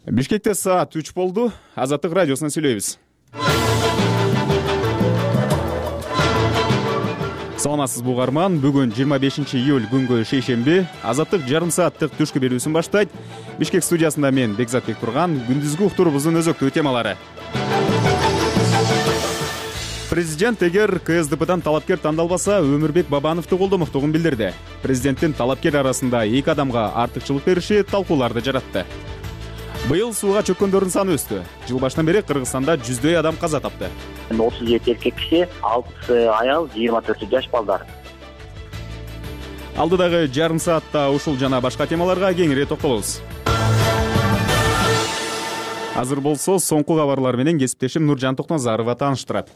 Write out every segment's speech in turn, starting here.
Бишкекте саат 3 болду. Азаттык радиосунан сүйлөйбүз. Саламатсызбы угарман? Бүгүн 25 июль күнгө шейшемби. Азаттык жарым сааттык түшкү берүүсүн баштайт. Бишкек студиясында мен Бекзат Бектурган. Күндүзгү уктуруубуздун өзөктүү темалары. Президент эгер КСДПдан талапкер тандалбаса, Өмүрбек Бабановду колдомоктугун билдирди. Президенттин талапкер арасында эки адамга артыкчылык бериши талкууларды жаратты. Быйыл сууга чөккөндөрдүн саны өстү. Жыл башынан бери Кыргызстанда жүздөй адам каза тапты. 37 эркек киши, 6 аял, 24 жаш балдар. Алдыдагы жарым саатта ушул жана башка темаларга кеңири токтолобуз. Азыр болсо соңку кабарлар менен кесиптешим Нуржан Токназарова тааныштырат.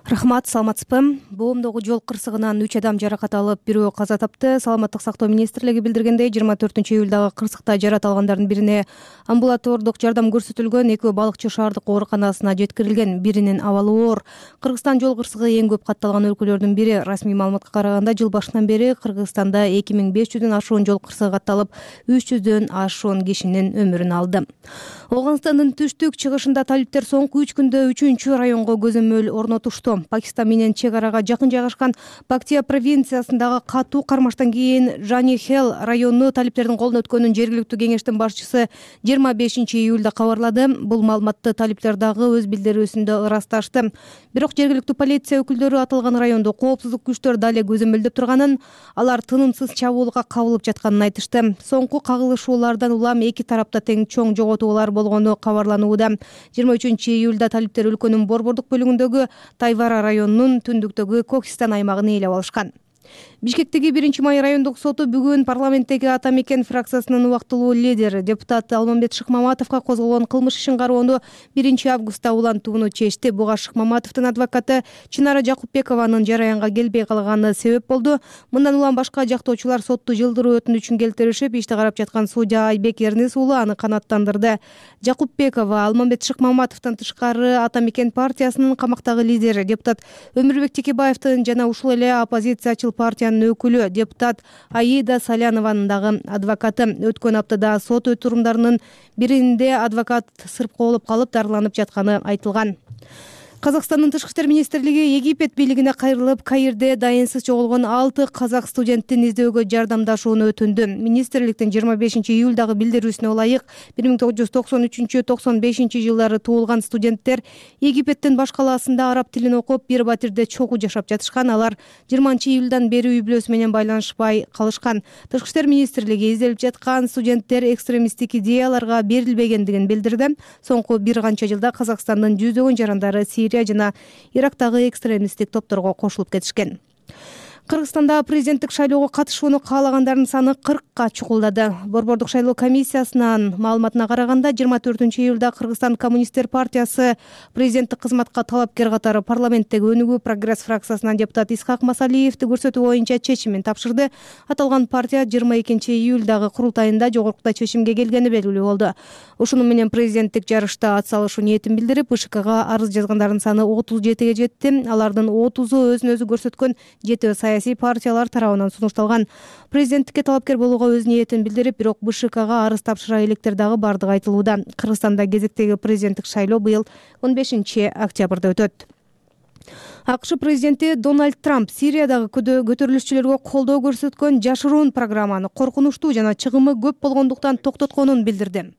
Рахмат, саламатсызбы? Боомдогу жол кырсыгынан 3 адам жаракат алып, бирөө каза тапты. Саламаттык сактоо министрлиги билдиргендей, 24 июлдагы кырсыкта жарат алгандардын бирине амбулатордук жардам көрсөтүлгөн, экөө балыкчы шаардык ооруканасына жеткирилген, биринин абалы оор. Кыргызстан жол кырсыгы эң көп катталган өлкөлөрдүн бири. Расмий маалыматка караганда, жыл башынан бери Кыргызстанда 2500дөн ашуун жол кырсыгы катталып, 300дөн ашуун кишинин өмүрүн алды. Ооганстандын түштүк чыгышында талиптер соңку 3 күндө 3-чү районго көзөмөл орнотушту. Пакистан менен чек арага жакын жайгашкан Пактия провинциясындагы катуу кармаштан кийин Жанихел району талиптердин колуна өткөнүн жергиликтүү кеңештин башчысы 25 июлда кабарлады. Бул маалыматты талиптер дагы өз билдирүүсүндө ырасташты. Бирок жергиликтүү полиция өкүлдөрү аталган райондо коопсуздук күчтөр дале көзөмөлдөп турганын, алар тынымсыз чабуулга кабылып жатканын айтышты. Соңку кагылышуулардан улам эки тарапта тең чоң жоготуулар болгону кабарланууда. 23 июлда талиптер өлкөнүн борбордук бөлүгүндөгү Тайвара районунун түндүктөгү Кокистан аймагын ээлеп алышкан. Бишкектеги 1-май райондук соту бүгүн парламенттеги Ата Мекен фракциясынын убактылуу лидери депутат Алмамбет Шыкмаматовго козголгон кылмыш ишин кароону 1 августта улантууну чечти. Буга Шыкмаматовдун адвокаты Чынара Жакупбекованын жараянга келбей калганы себеп болду. Мындан улам башка жактоочулар сотту жылдыруу өтүнүчүн келтиришип, ишти карап жаткан судья Айбек Эрнис уулу аны канааттандырды. Жакупбекова Алмамбет Шыкмаматовдон тышкары Ата Мекен партиясынын камактагы лидери, депутат Өмүрбек Текебаевдин жана ушул эле оппозициячыл партиянын өкүлү депутат Аида Салянованын дагы адвокаты. Өткөн аптада сот отурумдарынын биринде адвокат сырпкоолоп калып дарыланып жатканы айтылган. Казакстандын Тышкы иштер министрлиги Египет бийлигине кайрылып, Каирде дайынсыз жоголгон 6 казак студенттин издөөгө жардамдашууну өтүндү. Министрликтин 25 июлдагы билдирүүсүнө ылайык, 1993-95 жылдары туулган студенттер Египеттин баш калаасында араб тилин окуп, бир батирде чогуу жашап жатышкан. Алар 20 июлдан бери үй бүлөсү менен байланышпай калышкан. Тышкы иштер министрлиги изделип жаткан студенттер экстремисттик идеяларга берилбегендигин билдирди. Соңку бир канча жылда Казакстандын жүздөгөн жарандары Сирия жана Ирактагы экстремисттик топторго кошулуп кетишкен. Кыргызстанда президенттик шайлоого катышууну каалагандардын саны 40-ка чукулдады. Борбордук шайлоо комиссиясынын маалыматына караганда, 24 июлда Кыргызстан коммунисттер партиясы президенттик кызматка талапкер катары парламенттеги Өнүгүү прогресс фракциясынан депутат Исхак Масалиевди көрсөтүү боюнча чечимин тапшырды. Аталган партия 22 июлдагы курултайында жогоркудай чечимге келгени белгилүү болду. Ушуну менен президенттик жарышта атсалышуу ниетин билдирип, БШКга арыз жазгандардын саны 37ге жетти. Алардын 30-у өзүн өзү көрсөткөн 7 саясий партиялар тарабынан сунушталган. Президенттикке талапкер болууга өз ниетин билдирип, бирок БШКга арыз тапшыра электер дагы бардыгы айтылууда. Кыргызстанда кезектеги президенттик шайлоо быйыл 15 октябрда өтөт. АКШ президенти Дональд Трамп Сириядагы көтөрүлүшчүлөргө колдоо көрсөткөн жашыруун программаны коркунучтуу жана чыгымы көп болгондуктан токтотконун билдирди.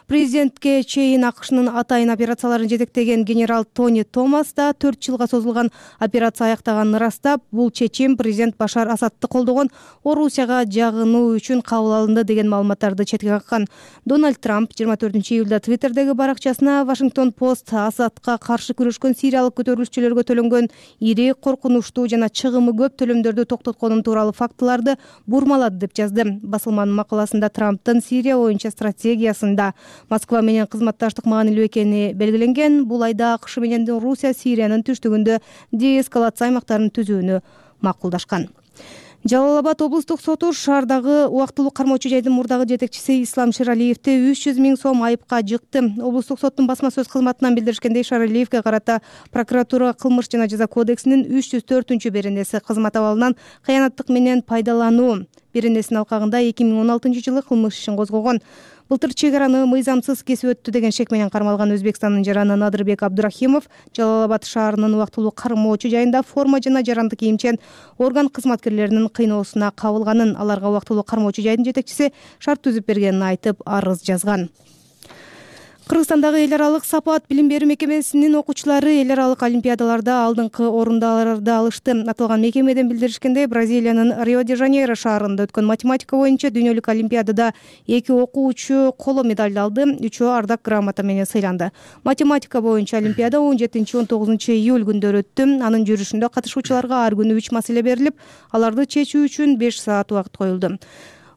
Президентке чейин АКШнын атайын операцияларын жетектеген генерал Тони Томас да 4 жылга созулган операция аяктаганын ырастап, бул чечим президент Башар Асадты колдогон Орусияга жагынуу үчүн кабыл алынды деген маалыматтарды четке каккан. Дональд Трамп 24 июлда Твиттердеги баракчасына Вашингтон Пост Асадка каршы күрөшкөн сириялык көтөрүлүшчүлөргө төлөнгөн ири, коркунучтуу жана чыгымы көп төлөмдөрдү токтотконун тууралуу фактыларды бурмалады деп жазды. Басылманын макаласында Трамптын Сирия боюнча стратегиясында Москва менен кызматташтык маанилүү экени белгиленген. Бул айда АКШ менен Орусия Сириянын түштүгүндө деэскалация аймактарын түзүүнү макулдашкан. Жалал-Абад облустук соту шаардагы убактылуу кармоочу жайдын мурдагы жетекчиси Ислам Шералиевди 300 000 сом айыпка жыкты. Облустук соттун басма сөз кызматынан билдиришкендей, Шералиевге карата прокуратура кылмыш жана жаза кодексинин 304-беренеси кызмат абалынан кыянаттык менен пайдалануу беренесинин алкагында 2016-жылы кылмыш ишин козгогон. Былтыр чек араны мыйзамсыз кесип өттү деген шек менен кармалган Өзбекстандын жараны Надырбек Абдурахимов Жалал Абад шаарынын убактылуу кармоочу жайында форма жана жарандык кийимчен орган кызматкерлеринин кыйноосуна кабылганын, аларга убактылуу кармоочу жайдын жетекчиси шарт түзүп бергенин айтып, арыз жазган. Кыргызстандагы эл аралык сапаат билим берүү мекемесинин окуучулары эл аралык олимпиадаларда алдыңкы орундарды алышты. Аталган мекемеден билдиришкендей, Бразилиянын Рио-де-Жанейро шаарында өткөн математика боюнча дүйнөлүк олимпиадада 2 окуучу коло медаль алды, 3-өө ардак грамота менен сыйланды. Математика боюнча олимпиада 17-19 июль күндөрү өттү. Анын жүрүшүндө катышуучуларга ар күнү 3 маселе берилип, аларды чечүү үчүн 5 саат убакыт коюлду.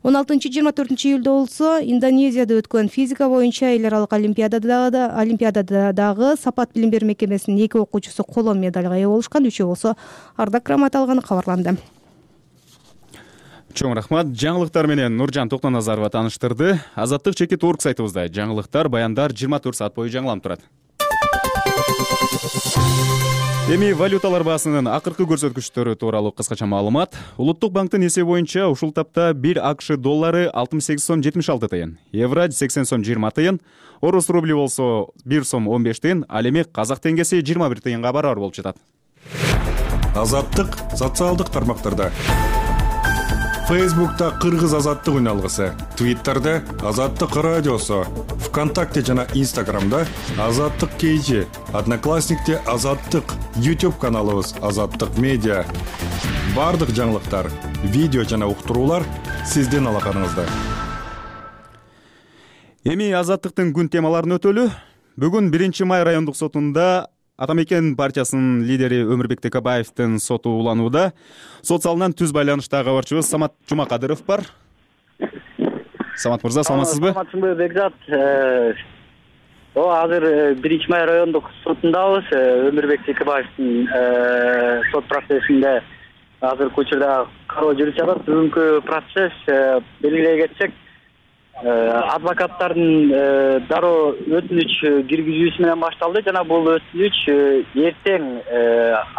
16-24 июлда болсо Индонезияда өткөн физика боюнча эл аралык олимпиададагы сапаат билим берүү мекемесинин 2 окуучусу коло медальга ээ болушкан, 3-өө болсо ардак грамота алганы кабарланды. Чоң рахмат. Жаңылыктар менен Нуржан Токтоназарова тааныштырды. Азаттык чекит орг сайтыбызда жаңылыктар, баяндар 24 саат бою жаңыланып турат. Эми валюталар баасынын акыркы көрсөткүчтөрү тууралуу кыскача маалымат. Улуттук банктын эсеби боюнча ушул тапта 1 АКШ доллары 68 сом 76 тыйын, евро 80 сом 20 тыйын, орус рубли болсо 1 сом 15 тыйын, ал эми казак теңгеси 21 тыйынга барабар болуп жатат. Азаттык социалдык тармактарда. Фейсбукта Кыргыз азаттык үн алгысы, Твиттерде Азаттык радиосу, ВКонтакте жана Инстаграмда Азаттык KG, Одноклассникте Азаттык, YouTube каналыбыз Азаттык медиа. Бардык жаңылыктар, видео жана уктуруулар сиздин алаканыңызда. Эми Азаттыктын күн темаларын өтөлү. Бүгүн 1-май райондук сотунда Атамекен партиясынын лидери Өмүрбек Текебаевдин соту уланууда. Сот залынан түз байланыштагы кабарчыбыз Самат Жумакадыров бар. Самат мырза, саламатсызбы? Саламатсызбы, Бекзат. Азыр 1-май райондук сотундабыз. Өмүрбек Текебаевдин сот процессинде азыркы учурда кароо жүрүп жатат. Бүгүнкү процесс белгилей кетсек, адвокаттардын дароо өтүнүч киргизүүсү менен башталды жана бул өтүнүч эртең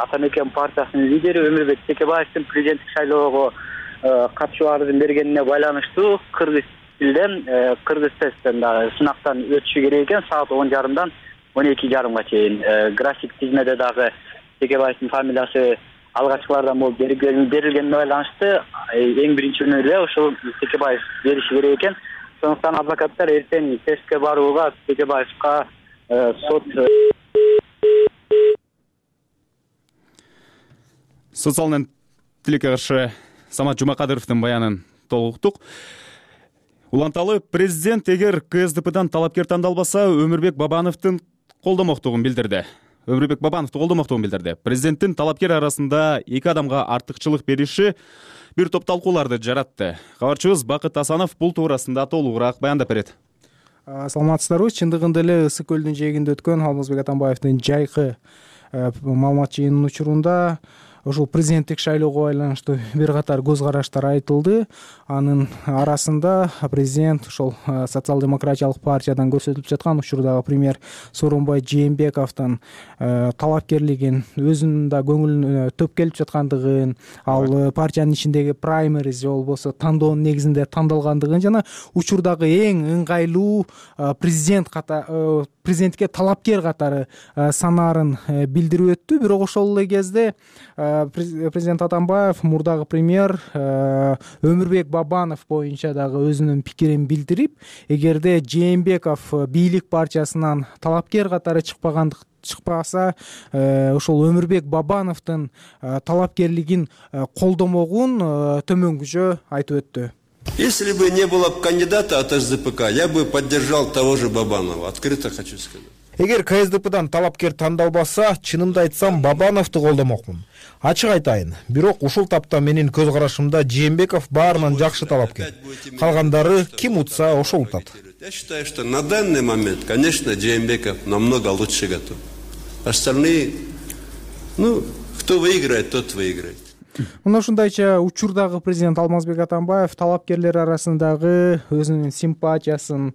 Атамекен партиясынын лидери Өмүрбек Текебаевдин президенттик шайлоого катышууларын бергенине байланыштуу кыргыз тилден, кыргыз тесттен дагы сынактан өтүшү керек экен саат 10:30-дан 12:30 чейин. График тизмеде дагы Текебаевдин фамилиясы алгачкылардан болуп берилгенине байланыштуу эң биринчи эле ушул Текебаев бериши керек экен. Сондуктан адвокаттар эртең тестке барууга Текебаевка сот залынан тилекке каршы Самат Жумакадыровдун баянын толуктук. Уланталы президент эгер КСДПдан талапкер тандалбаса, Өмүрбек Бабановдун колдомоктугун билдирди. Президенттин талапкер арасында 2 адамга артыкчылык бериши бир топ талкууларды жаратты. Кабарчыбыз Бакыт Асанов бул туурасында толугураак баяндап берет. Саламатсыздарбы? Чындыгында эле Ысык көлдүн жээгинде өткөн Алмазбек Атамбаевдин жайкы маалымат жыйынынын учурунда ушул президенттик шайлоого байланыштуу бир катар көз караштар айтылды. Анын арасында президент ошол социал-демократиялык партиядан көрсөтүлүп жаткан учурдагы премьер Сооронбай Жээнбековдун талапкерлигин, өзүнүн да көңүлүнө төп келип жаткандыгын, ал партиянын ичиндеги праймериз же болбосо тандоонун негизинде тандалгандыгын жана учурдагы эң ыңгайлуу президентке талапкер катары санаарын билдирип өттү. Бирок ошол эле кезде президент Атамбаев мурдагы премьер Өмүрбек Бабанов боюнча дагы өзүнүн пикирин билдирип, эгерде Жээнбеков бийлик партиясынан талапкер катары чыкпаса, ошол Өмүрбек Бабановдун талапкерлигин колдомогун төмөнгүчө айтып өттү. Если бы не было кандидата от СДПК, я бы поддержал того же Бабанова. Открыто хочу сказать. Эгер КСДПдан талапкер тандалбаса, чынымды айтсам, Бабановду колдомокмун. Ачык айтайын, бирок ушул тапта менин көз карашымда Жээнбеков баарынан жакшы талапкер. Калгандары ким утса ошол утат. Я считаю, что на данный момент, конечно, Жээнбеков намного лучше готов. Остальные, кто выиграет, тот выиграет. Мына ушундайча учурдагы президент Алмазбек Атамбаев талапкерлер арасындагы өзүнүн симпатиясын,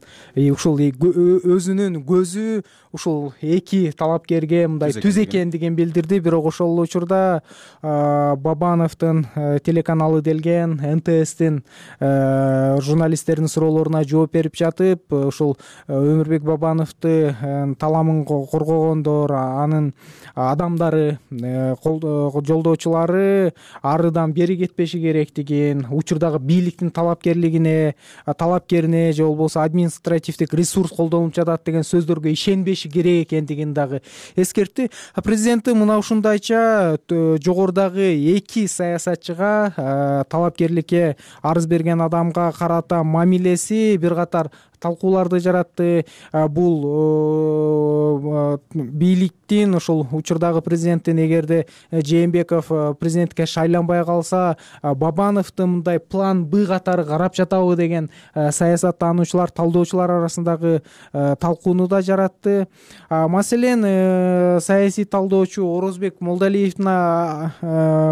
ушул өзүнүн көзү ушул эки талапкерге мындай түз экендигин билдирди. Бирок ошол эле учурда Бабановдун телеканалы делген НТСтин журналисттердин суроолоруна жооп берип жатып, ушул Өмүрбек Бабановду таламын коргогондор, анын адамдары, жолдоочулары арыдан бери кетпеши керектигин, учурдагы бийликтин талапкерине же болбосо административдик ресурс колдонуп жатат деген сөздөргө ишенбеши керек экендигин дагы эскертти. Президенти мына ушундайча жогорудагы эки саясатчыга, талапкерликке арыз берген адамга карата мамилеси бир катар талкууларды жаратты. Бул бийликтин, ошол учурдагы президенттин эгерде Жээнбеков президенттикке шайланбай калса, Бабановду мындай план Б катары карап жатабы деген саясаттануучулар, талдоочулар арасындагы талкууну да жаратты. Маселен, саясий талдоочу Орозбек Молдалиевдин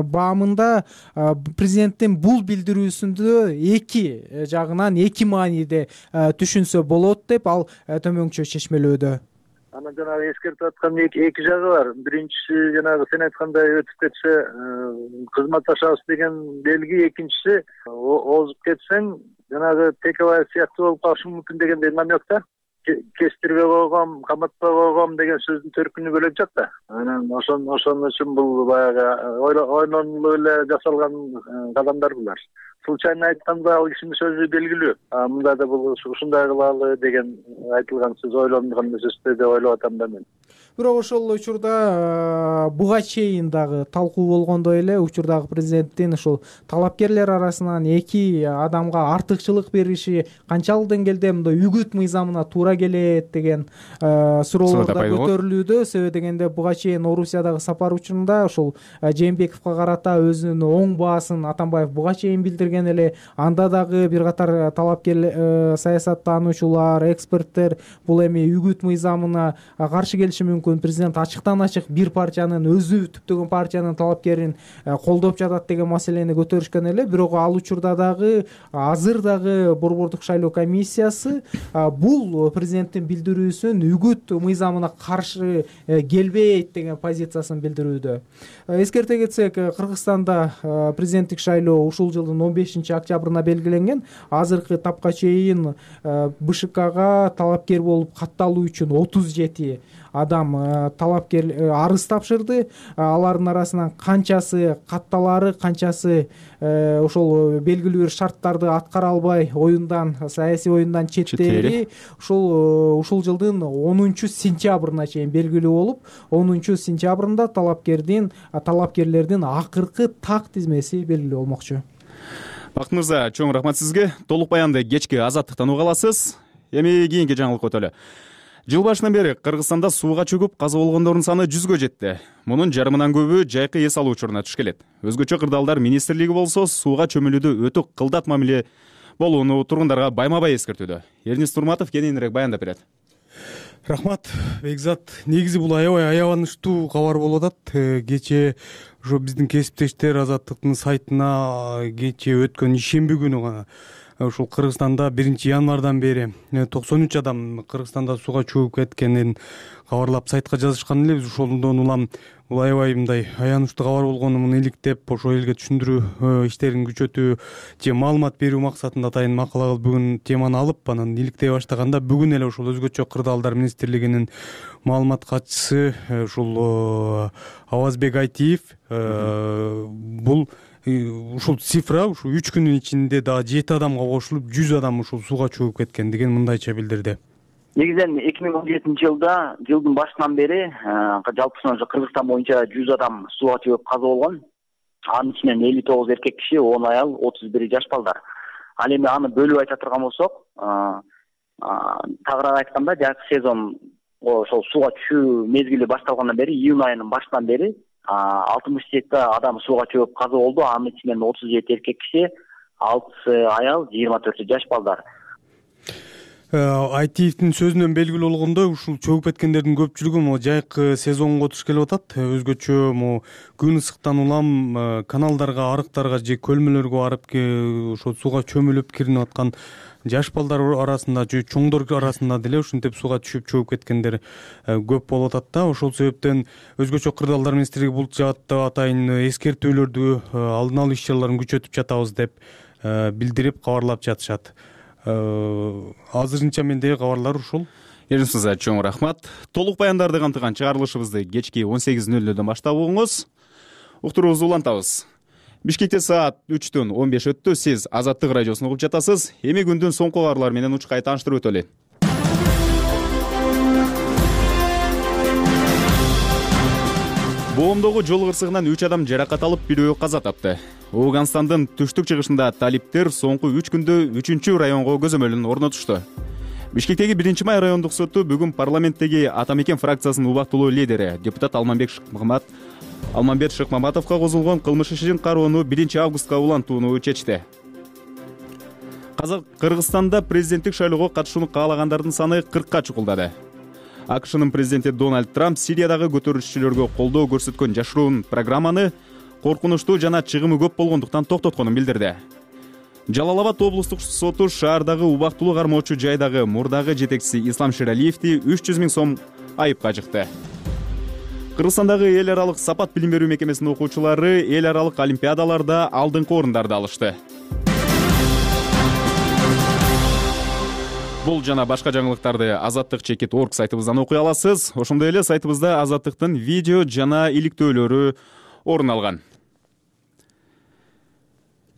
баамында президенттин бул билдирүүсүндө эки жагынан эки мааниде түшүнсө болот деп ал төмөнчө чечмелөөдө. Анан жанагы эскертип аткан эки жагы бар. Биринчиси жанагы сен айткандай өтүп кетсе кызматташабыз деген белги, экинчиси озуп кетсең жанагы Текебаев сыяктуу болуп калышы мүмкүн дегендей намек да. Кестирбей койгом, каматпай койгом деген сөздүн төркүнү бөлөк жак да. Анан ошон үчүн бул баягы ойлонуп эле жасалган кадамдар булар. Случайно айтканда ал кишинин сөзү белгилүү. Мында да бул ушундай кылалы деген айтылган сөз ойлонгон сөз деп ойлоп атам да мен. Бирок ошол учурда буга чейин дагы талкуу болгондой эле учурдагы президенттин ушул талапкерлер арасынан эки адамга артыкчылык бериши канчалык деңгээлде мындай үгүт мыйзамына туура келет деген суроолор да көтөрүлүүдө. Себеби дегенде буга чейин Орусиядагы сапар учурунда ушул Жээнбековго карата өзүнүн оң баасын Атамбаев буга чейин билдирген эле. Анда дагы бир катар талапкер саясаттануучулар, эксперттер бул эми үгүт мыйзамына каршы келиши мүмкүн. Президент ачыктан ачык бир партиянын, өзү түптөгөн партиянын талапкерин колдоп жатат деген маселени көтөрүшкөн эле. Бирок ал учурда дагы азыр дагы Борбордук шайлоо комиссиясы бул президенттин билдирүүсүн үгүт мыйзамына каршы келбейт деген позициясын билдирүүдө. Эскерте кетсек, Кыргызстанда президенттик шайлоо ушул жылдын 15-октябрына белгиленген. Азыркы тапка чейин БШКга талапкер болуп катталуу үчүн 37 адам талапкер арыз тапшырды. Алардын арасынан канчасы катталары, канчасы ошол белгилүү бир шарттарды аткара албай саясий оюндан четтери ушул жылдын 10-сентябрына чейин белгилүү болуп, 10-сентябрында талапкерлердин акыркы так тизмеси белгилүү болмокчу. Бакыт мырза, чоң рахмат сизге. Толук баянды кечки Азаттыктан уга аласыз. Эми кийинки жаңылык өтөлү. Жыл башынан бери Кыргызстанда сууга чөгүп каза болгондордун саны 100гө жетти. Мунун жарымынан көбү жайкы эс алуу учуруна туш келет. Өзгөчө кырдаалдар министрлиги болсо сууга чөмүлүүдө өтө кылдат мамиле болууну тургундарга байма-бай эскертүүдө. Эрнис Турматов кененирээк баяндап берет. Рахмат, Бекзат. Негизи бул аябай аябанычтуу кабар болуп атат. Кечээ ошо биздин кесиптештер Азаттыктын сайтына кечээ өткөн ишемби күнү гана ушул Кыргызстанда 1-январдан бери 93 адам Кыргызстанда сууга чөгүп кеткенин кабарлап сайтка жазышкан эле. Биз ошондон улам бул аябай мындай аянычтуу кабар болгонун иликтеп, ошо элге түшүндүрүү иштерин күчөтүү же маалымат берүү максатында атайын макала кылып бүгүн теманы алып анан иликтей баштаганда бүгүн эле ушул өзгөчө кырдаалдар министрлигинин маалымат катчысы ушул Авазбек Айтиев бул ушул цифра ушу 3 күнүн ичинде дагы 7 адамга кошулуп 100 адам ушул сууга чөгүп кеткен деген мындайча билдирди. Негизинен 2017-жылда жылдын башынан бери жалпысынан Кыргызстан боюнча 100 адам сууга чөгүп каза болгон. Анын ичинен 59 эркек киши, 10 аял, 31 жаш балдар. Ал эми аны бөлүп айта турган болсок, тагыраак айтканда, жайкы сезон ошол сууга түшүү мезгили башталгандан бери, июнь айынын башынан бери 67 адам сууга чөгүп каза болду. Анын ичинен 37 эркек киши, 6 аял, 24 жаш балдар. Айтиевдин сөзүнөн белгилүү болгондой, ушул чөгүп кеткендердин көпчүлүгү могу жайкы сезонго туш келип атат. Өзгөчө могу күн ысыктан улам каналдарга, арыктарга же көлмөлөргө барып ошо сууга чөмүлүп киринип аткан жаш балдар арасында же чоңдор арасында деле ушинтип сууга түшүп чөгүп кеткендер көп болуп атат да. Ошол себептен өзгөчө Кырдаалдар министрлиги бул жаатта атайын эскертүүлөрдү, алдын алуу иш чараларын күчөтүп жатабыз деп билдирип кабарлап жатышат. Азырынча мендеги кабарлар ушул. Эринсизге чоң рахмат. Толук баяндарды камтыган чыгарылышыбызды кечки 18:00 баштап угуңуз. Уктуруубузду улантабыз. Бишкекте саат 3-төн 15 өттү. Сиз Азаттык радиосун угуп жатасыз. Эми күндүн соңку кабарлары менен учкай тааныштырып өтөлү. Боомдогу жол кырсыгынан 3 адам жаракат алып, бирөө каза тапты. Ооганстандын түштүк чыгышында талиптер соңку 3 күндө 3-чү районго көзөмөлүн орнотушту. Бишкектеги 1-май райондук соту бүгүн парламенттеги Ата Мекен фракциясынын убактылуу лидери депутат Алмамбет Шыкмаматовго козулгон кылмыш ишин кароону 1-августка улантууну чечти. Кыргызстанда президенттик шайлоого катышууну каалагандардын саны 40-ка чукулдады. АКШнын президенти Дональд Трамп Сириядагы көтөрүлүшчүлөргө колдоо көрсөткөн жашыруун программаны коркунучтуу жана чыгымы көп болгондуктан токтотконун билдирди. Жалал-Абад облустук соту шаардагы убактылуу кармоочу жайдагы мурдагы жетекчиси Ислам Шералиевди 300 000 сом айыпка жыкты. Кыргызстандагы эл аралык сапат билим берүү мекемесинин окуучулары эл аралык олимпиадаларда алдыңкы орундарды алышты. Бул жана башка жаңылыктарды azattik.org сайтыбыздан окуй аласыз. Ошондой эле сайтыбызда Азаттыктын видео жана иликтөөлөрү орун алган.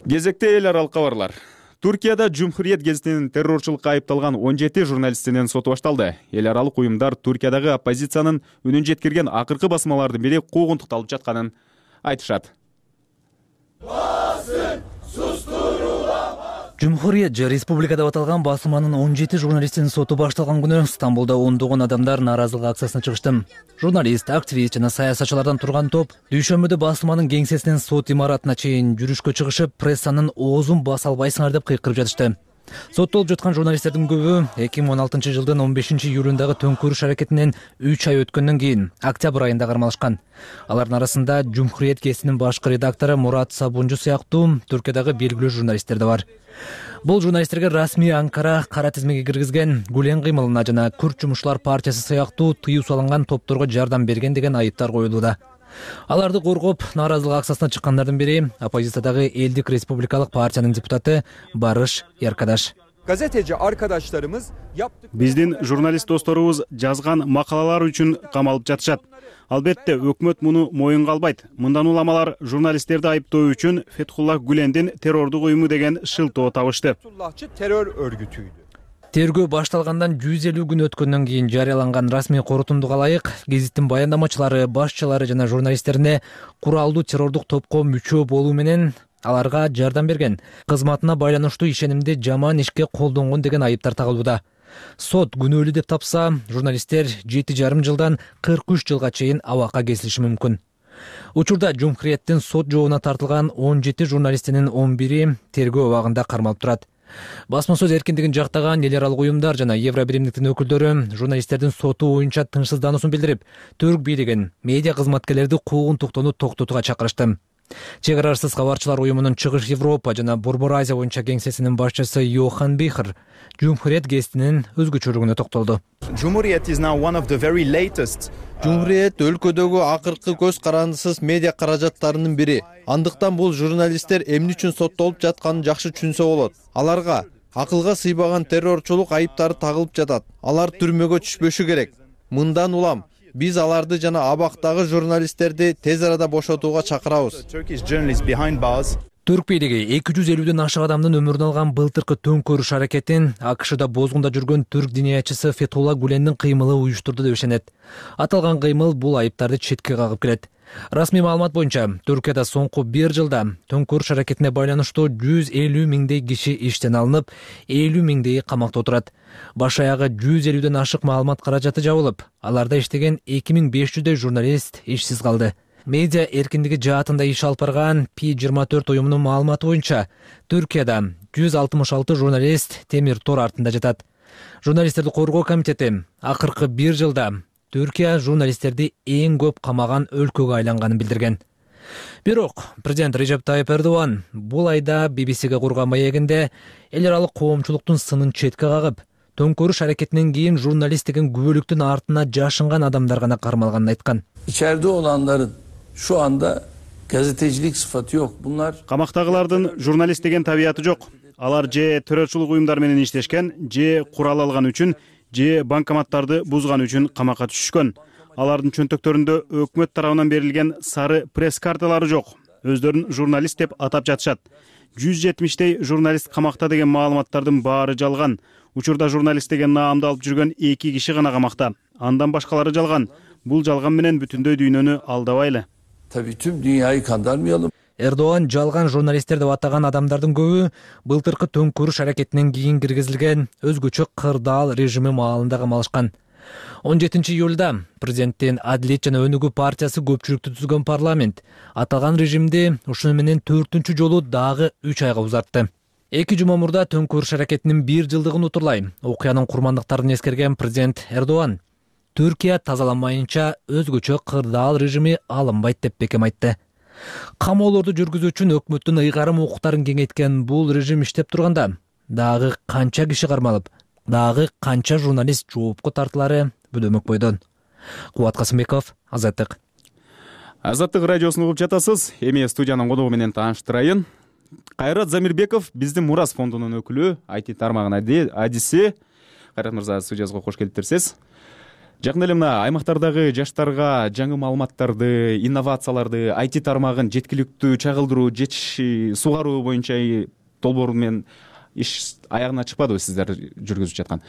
Кезекте эл аралык кабарлар. Туркияда Cumhuriyet гезитинин террорчулукка айыпталган 17 журналистинин соту башталды. Эл аралык уюмдар Туркиядагы оппозициянын үнүн жеткирген акыркы басмалардын бири куугунтукталып жатканын айтышат. Cumhuriyet же республика деп аталган басылманын 17 журналистинин соту башталган күнү Стамбулда ондогон адамдар нааразылык акциясына чыгышты. Журналист, активист жана саясатчылардан турган топ дүйшөмбүдө басылманын кеңсесинен сот имаратына чейин жүрүшкө чыгышып, прессанын оозун баса албайсыңар деп кыйкырып жатышты. Соттолуп жаткан журналисттердин көбү 2016 жылдын 15 июлундагы төңкүрүш аракетинен 3 ай өткөндөн кийин октябрь айында кармалышкан. Алардын арасында Cumhuriyet гезитинин башкы редактору Мурат Сабунжу сыяктуу Түркиядагы белгилүү журналисттер да бар. Бул журналисттерге расмий Анкара кара тизмеге киргизген Гүлен кыймылына жана Күрт жумушчулар партиясы сыяктуу тыюу салынган топторго жардам берген деген айыптар коюлууда. Аларды коргоп, нааразылык акциясына чыккандардын бири оппозициядагы Элдик республикалык партиянын депутаты Барыш Яркадаш. Gazeteci arkadaşlarımız yaptık. Биздин журналист досторубуз жазган макалалар үчүн камалып жатышат. Албетте өкмөт муну моюнга албайт. Мындан уламалар журналисттерди айыптоо үчүн Фетхуллах Гүлендин террордук уюму деген шылтоо табышты. Fethullahçı terör örgütüydü. Тергөө башталгандан 150 күн өткөндөн кийин жарыяланган расмий корутундуга ылайык гезиттин баяндамачылары, башчылары жана журналисттерине куралдуу террордук топко мүчө болуу менен аларга жардам берген, кызматына байланыштуу ишенимди жаман ишке колдонгон деген айыптар тагылууда. Сот күнөөлүү деп тапса, журналисттер 7,5 жылдан 43 жылга чейин абакка кесилиши мүмкүн. Учурда Cumhuriyet'тин сот жообуна тартылган 17 журналистинин 11-и тергөө абагында кармалып турат. Басма сөз эркиндигин жактаган эл аралык уюмдар жана Евробиримдиктин өкүлдөрү журналисттердин соту боюнча тынчсыздануусун билдирип, Түрк бийлигин медиа кызматкерлерди куугунтуктоону токтотууга чакырышты. Чек арасыз кабарчылар уюмунун Чыгыш Европа жана Борбор Азия боюнча кеңсесинин башчысы Йохан Бихер Cumhuriyet гезитинин өзгөчөлүгүнө токтолду. Cumhuriyet is now one of the very latest. Cumhuriyet өлкөдөгү акыркы көз карандысыз медиа каражаттарынын бири. Андыктан бул журналисттер эмне үчүн соттолуп жатканын жакшы түшүнсө болот. Аларга акылга сыйбаган террорчулук айыптары тагылып жатат. Алар түрмөгө түшпөшү керек. Мындан улам биз аларды жана абактагы журналисттерди тез арада бошотууга чакырабыз. Түрк бийлиги 250дөн ашык адамдын өмүрүн алган былтыркы төңкөрүш аракетин АКШда бозгунда жүргөн түрк диниячысы Фетхуллах Гүлендин кыймылы уюштурду деп ишенет. Аталган кыймыл бул айыптарды четке кагып келет. Расмий маалымат боюнча, Түркияда соңку 1 жылда төңкөрүш аракетине байланыштуу 150 миңдей киши иштен алынып, 50 миңдейи камакта отурат. Баш аягы 150дөн ашык маалымат каражаты жабылып, аларда иштеген 2500дөй журналист ишсиз калды. Медиа эркиндиги жаатында иш алып барган P24 уюмунун маалыматы боюнча, Түркияда 166 журналист темир тор артында жатат. Журналисттерди коргоо комитети акыркы 1 жылда Түркия журналисттерди эң көп камаган өлкөгө айланганын билдирген. Бирок президент Режеп Тайып Эрдоган бул айда BBC-ге курган маегинде эл аралык коомчулуктун сынын четке кагып, төңкөрүш аракетинен кийин журналист деген күбөлүктүн артына жашынган адамдар гана кармалганын айткан. İçeride olanların şu anda gazetecilik sıfatı yok. Bunlar камактагылардын журналист деген табияты жок. Алар же террорчулук уюмдар менен иштешкен, же курал алган үчүн, же банкоматтарды бузган үчүн камакка түшүшкөн. Алардын чөнтөктөрүндө өкмөт тарабынан берилген сары пресс карталары жок. Өздөрүн журналист деп атап жатышат. 170 журналист камакта деген маалыматтардын баары жалган. Учурда журналист деген наамды алып жүргөн 2 киши гана камакта. Андан башкалары жалган. Бул жалган менен бүтүндөй дүйнөнү алдабайлы. tabii tüm dünyayı kandırmayalım. Эрдоган жалган журналисттер деп атаган адамдардын көбү былтыркы төңкөрүш аракетинен кийин киргизилген өзгөчө кырдаал режими маалында камалышкан. 17 июлда президенттин Адилет жана Өнүгүү партиясы көпчүлүктү түзгөн парламент аталган режимди ушуну менен 4-үнчү жолу дагы 3 айга узартты. 2 жума мурда төңкөрүш аракетинин 1 жылдыгын утурлай окуянын курмандыктарын эскерген президент Эрдоган Түркия тазаланмайынча өзгөчө кырдаал режими алынбайт деп бекем айтты. Камоолорду жүргүзүү үчүн өкмөттүн ыйгарым укуктарын кеңейткен бул режим иштеп турганда дагы канча киши кармалып, дагы канча журналист жоопко тартылары бөлөмөк бойдон. Кубат Касымбеков, Азаттык. Азаттык радиосун угуп жатасыз. Эми студиянын коногу менен тааныштырайын. Кайрат Замирбеков биздин Мурас фондунун өкүлү, IT тармагынын адиси. Кайрат мырза, студиябызга кош келиптирсиз. Жакын эле мына аймактардагы жаштарга жаңы маалыматтарды, инновацияларды, IT тармагын жеткиликтүү чагылдыруу, сугаруу боюнча долбоор менен иш аягына чыкпадыбы сиздер жүргүзүп жаткан.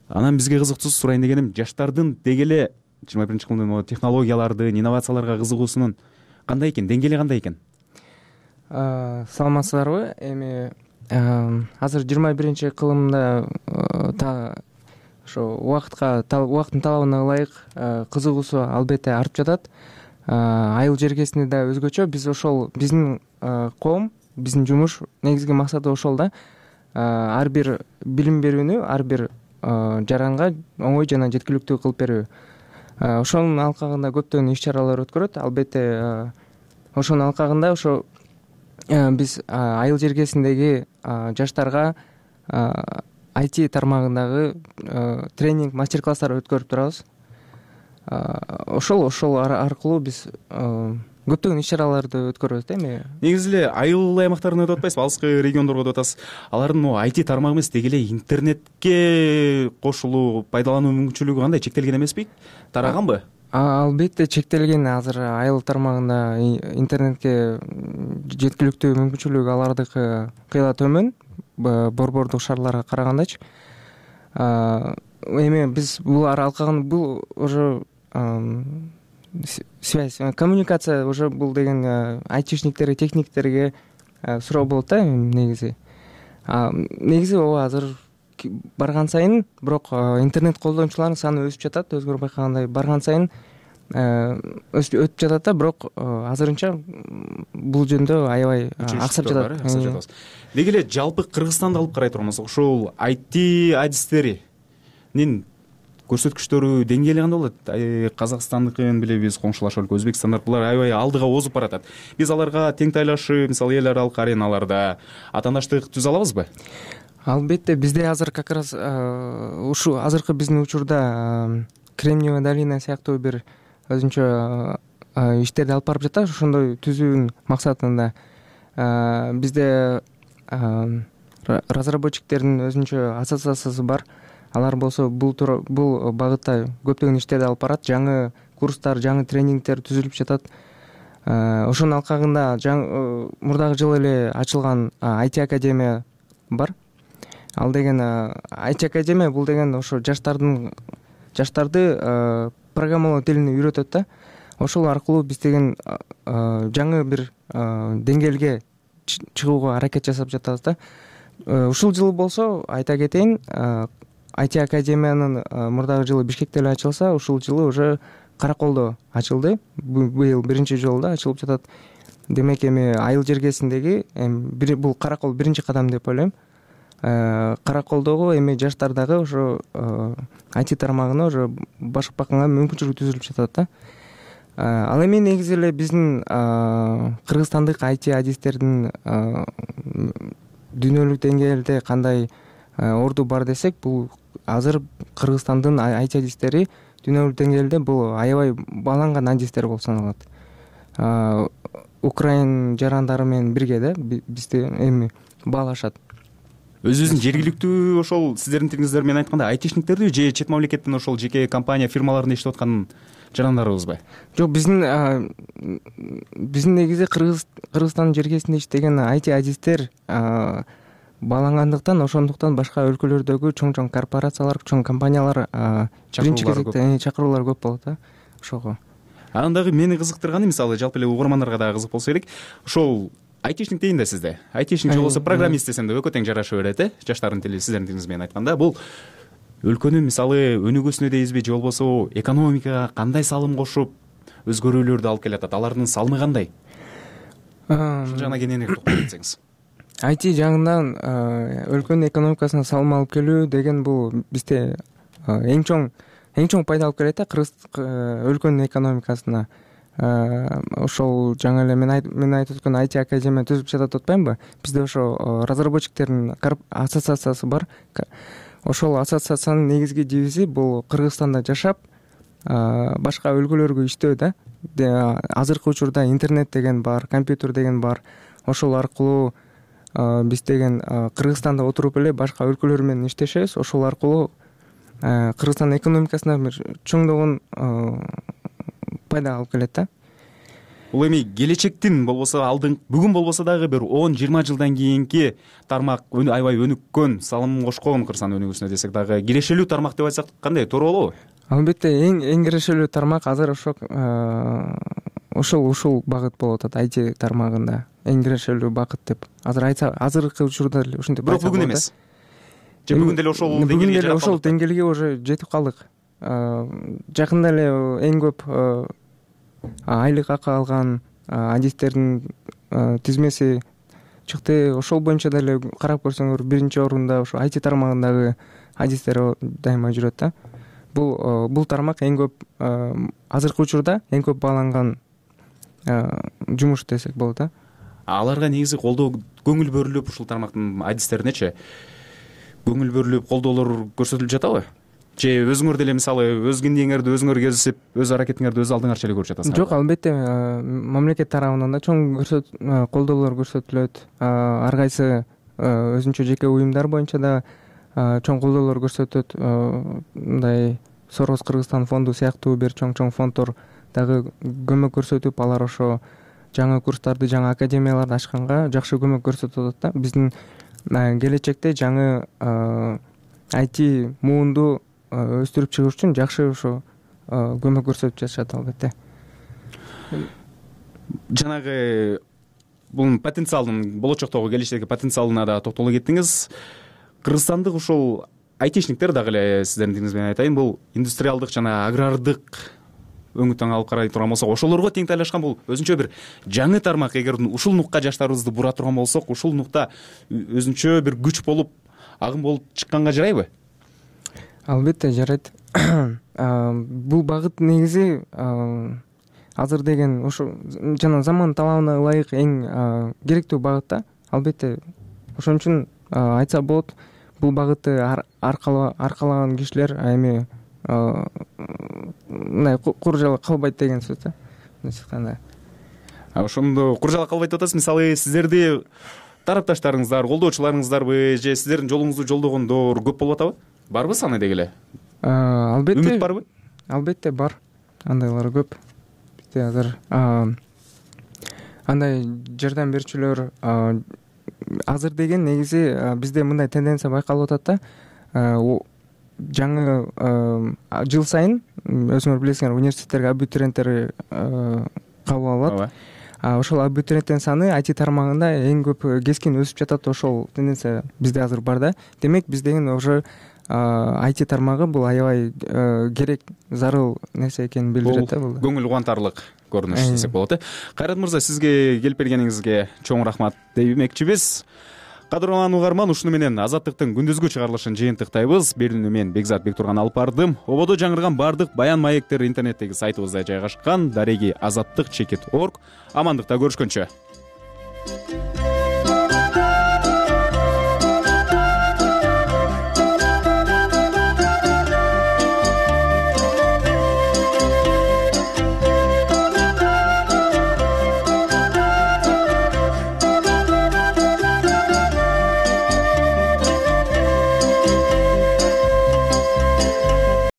Анан бизге кызыктуу сурайын дегеним, жаштардын деги эле 21-кылымдын технологияларды, инновацияларга кызыгуусунун кандай экен, деңгээли кандай экен? Саламатсыздарбы? Эми азыр 21-кылымда ошо убакыттын талабына ылайык кызыгуусу албетте артып жатат. Айыл жергесинде да өзгөчө. Биз ошол биздин коом, биздин жумуш негизги максаты ошол да. Ар бир билим берүүнү ар бир жаранга оңой жана жеткиликтүү кылып берүү. Ошонун алкагында көптөгөн иш-чаралар өткөрөт. Албетте ошонун алкагында ошо биз айыл жергесиндеги жаштарга IT тармагындагы тренинг, мастер-класстар өткөрүп турабыз. Ошол аркылуу биз көптөгөн иш-чараларды өткөрөбүз эми. Негизи эле айыл аймактарына деп атпайсызбы, алыскы региондорго деп атасыз. Алардын IT тармагы эмес, деги эле интернетке кошулуу, пайдалануу мүмкүнчүлүгү кандай, чектелген эмеспи? Тараганбы? Албетте чектелген. Азыр айыл тармагында интернетке жеткиликтүү мүмкүнчүлүгү алардыкы кыйла төмөн, борбордук шаарларга карагандачы. Эми биз бул алкагын бул уже связь, коммуникация уже бул деген айтишниктерге, техниктерге суроо болот да негизи. Негизи ооба азыр барган сайын, бирок интернет колдонуучулардын саны өсүп жатат, өзгөрүп байкагандай барган сайын өтүп жатат да, бирок азырынча бул жөнүндө аябай аксап жатат. Деги эле жалпы Кыргызстанды алып карай турганбыз, ошол IT адистеринин көрсөткүчтөрү деңгээли кандай болот? Казакстандыкын билебиз, коңшулаш өлкө Өзбекстандар булар аябай алдыга озуп баратат. Биз аларга тең тайлашып, мисалы эл аралык ареналарда атаандаштык түзө алабызбы? Албетте, бизде азыр как раз ушу азыркы биздин учурда Кремниевая долина сыяктуу бир өзүнчө иштерди алып барып жатат. Ошондой түзүүнүн максатында бизде разработчиктердин өзүнчө ассоциациясы бар. Алар болсо бул багытта көптөгөн иштерди алып барат. Жаңы курстар, жаңы тренингдер түзүлүп жатат. Ошонун алкагында мурдагы жылы эле ачылган IT академия бар. Ал деген IT академия бул деген ошо жаштарды программалоо тилин үйрөтөт да. Ошол аркылуу биз деген жаңы бир деңгээлге чыгууга аракет жасап жатабыз да. Ушул жылы болсо айта кетейин, IT академиянын мурдагы жылы Бишкекте эле ачылса, ушул жылы уже Караколдо ачылды. Быйыл 1-жолу ачылып жатат. Демек эми айыл жергесиндеги бул Каракол биринчи кадам деп ойлойм. Караколдогу эми жаштар дагы ошо IT тармагына уже башкарганга мүмкүнчүлүк түзүлүп жатат да. Ал эми негизи эле биздин кыргызстандык IT адистердин дүйнөлүк деңгээлде кандай орду бар десек, бул азыр Кыргызстандын IT адистери дүйнөлүк деңгээлде бул аябай бааланган адистер болуп саналат. Украин жарандары менен бирге да бизди эми баалашат. Өзүбүздүн жергиликтүү ошол сиздердин тилиңиздер менен айтканда айтишниктерди же чет мамлекеттин ошол жеке компания фирмаларында иштеп аткан жарандарыбызбы? Жок, биздин негизи Кыргызстандын жергесинде иштеген IT адистер баалангандыктан, ошондуктан башка өлкөлөрдөгү чоң корпорациялар, чоң компаниялар биринчи кезекте чакыруулар көп болот да ошого. Анан дагы мени кызыктырганы, мисалы жалпы эле угармандарга дагы кызык болсо керек, ошол айтишник дейин да сизде. Айтишник же болбосо программист десем да экөө тең жараша берет, жаштардын тили сиздердин тилиңиз менен айтканда. Бул өлкөнүн мисалы өнүгүүсүнө дейбизби же болбосо экономикага кандай салым кошуп өзгөрүүлөрдү алып келатат? Алардын салымы кандай? Ушул жагына кененирээк токтолуп кетсеңиз. IT жагынан өлкөнүн экономикасына салым алып келүү деген бул бизде эң чоң пайда алып келет да өлкөнүн экономикасына. Ошол жаңы эле мен айтып өткөн IT академия түзүп жатат деп атпаймынбы? Бизде ошо разработчиктердин ассоциациясы бар. Ошол ассоциациянын негизги девизи бул Кыргызстанда жашап, башка өлкөлөргө иштөө да. Азыркы учурда интернет деген бар, компьютер деген бар. Ошол аркылуу биз деген Кыргызстанда отуруп эле башка өлкөлөр менен иштешебиз. Ошол аркылуу Кыргызстандын экономикасына бир чоңдогон пайда алып келет да. Бул эми келечектин болбосо бүгүн болбосо дагы бир 10-20 жылдан кийинки тармак аябай өнүккөн, салым кошкон Кыргызстан өнүгүүсүнө десек дагы кирешелүү тармак деп айтсак кандай, туура болобу? Албетте эң кирешелүү тармак азыр ушул багыт болуп атат. IT тармагында эң кирешелүү багыт деп азыркы учурда эле ушинтип. Бирок бүгүн эмес. Же бүгүн деле ошол деңгээлге уже жетип калдык. Жакында эле эң көп айлык акы алган адистердин тизмеси чыкты. Ошол боюнча деле карап көрсөңөр биринчи орунда ошо IT тармагындагы адистер дайыма жүрөт да. Бул тармак эң көп азыркы учурда эң көп бааланган жумуш десек болот да. Аларга негизи колдоо көңүл бөлүнүп, ушул тармактын адистеринечи көңүл бөлүнүп колдоолор көрсөтүлүп жатабы? Же өзүңөр деле мисалы өз киндиңерди өзүңөр кезип, өз аракетиңерди өз алдыңарча эле көрүп жатасыңар? Жок, албетте мамлекет тарабынан да чоң колдоолор көрсөтүлөт. Ар кайсы өзүнчө жеке уюмдар боюнча да чоң колдоолор көрсөтөт. Мындай Сорос Кыргызстан фонду сыяктуу бир чоң фонддор дагы көмөк көрсөтүп, алар ошо жаңы курстарды, жаңы академияларды ачканга жакшы көмөк көрсөтүп атат да. Биздин келечекте жаңы IT муунду өстүрүп чыгыш үчүн жакшы ошо көмөк көрсөтүп жатышат албетте. Жанагы бул потенциалдын, болочоктогу келечектеги потенциалына да токтоло кеттиңиз. Кыргызстандык ушул айтишниктер дагы эле сиздердин тилиңиз менен айтайын, бул индустриалдык жана агрардык өңүттөн алып карай турган болсок, ошолорго тең тайлашкан бул өзүнчө бир жаңы тармак. Эгер ушул нукка жаштарыбызды бура турган болсок, ушул нукта өзүнчө бир күч болуп, агым болуп чыкканга жарайбы? Албетте жарайт. Бул багыт негизи азыр деген ошо жана заман талабына ылайык эң керектүү багыт да. Албетте ошон үчүн айтса болот, бул багытты аркалаган кишилер эми мындай кур жала калбайт деген сөз да. Мындайча ошондо кур жала калбайт деп атасыз. Мисалы сиздерди тарапташтарыңыздар, колдоочуларыңыздарбы же сиздердин жолуңузду жолдогондор көп болуп атабы? Барбы саны деги эле? Албетте. Үмүт барбы? Албетте бар. Андайлар көп. Бизде азыр андай жардам берүүчүлөр азыр деген негизи бизде мындай тенденция байкалып атат да. Жаңы жыл сайын өзүңөр билесиңер, университеттерге абитуриенттер кабыл алат. Ошол абитуриенттин саны IT тармагында эң көп кескин өсүп жатат. Ошол тенденция бизде азыр бар да. Демек биз деген уже IT тармагы бул аябай керек, зарыл нерсе экенин билдирет да. Бул көңүл кубантарлык көрүнүш десек болот. Кайрат мырза, сизге келип бергениңизге чоң рахмат дей билмекчибиз. Кадырлан угарман, ушуну менен Азаттыктын күндүзгү чыгарылышын жыйынтыктайбыз. Берүүнү мен Бекзат Бектурган алып бардым. Ободо жаңырган бардык баян маектер интернеттеги сайтыбызда жайгашкан. Дареги azаттык.org. Амандыкта көрүшкөнчө.